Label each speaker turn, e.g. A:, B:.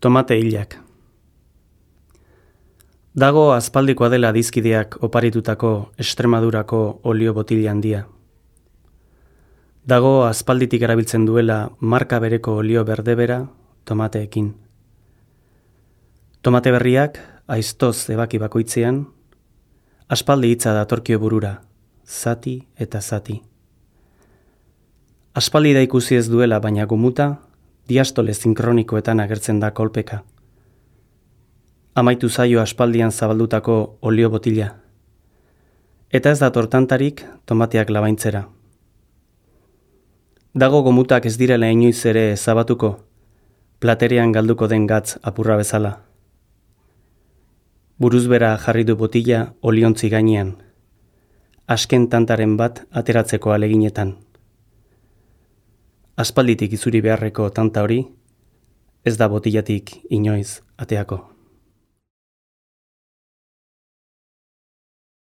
A: Tomate hilak. Dago aspaldikoa dela adizkideak oparitutako Extremadurako olio botila handia. Dago aspalditik erabiltzen duela marka bereko olio berdebera tomateekin. Tomate berriak aiztoz ebaki bakoitzean, aspaldi hitza datorkio burura, zati eta zati. Aspaldi da ikusi ez duela, baina gumuta, diastole sinkronikoetan agertzen da kolpeka. Amaitu zaio aspaldian zabaldutako olio botila. Eta ez dator tantarik tomateak labaintzera. Dago gomutak ez direla inoiz ere zabatuko, platerean galduko den gatz apurra bezala. Buruzbera jarri du botila oliontzi gainean, asken tantaren bat ateratzeko aleginetan. Aspalditik izuri beharreko tanta hori, ez da botilatik inoiz ateako.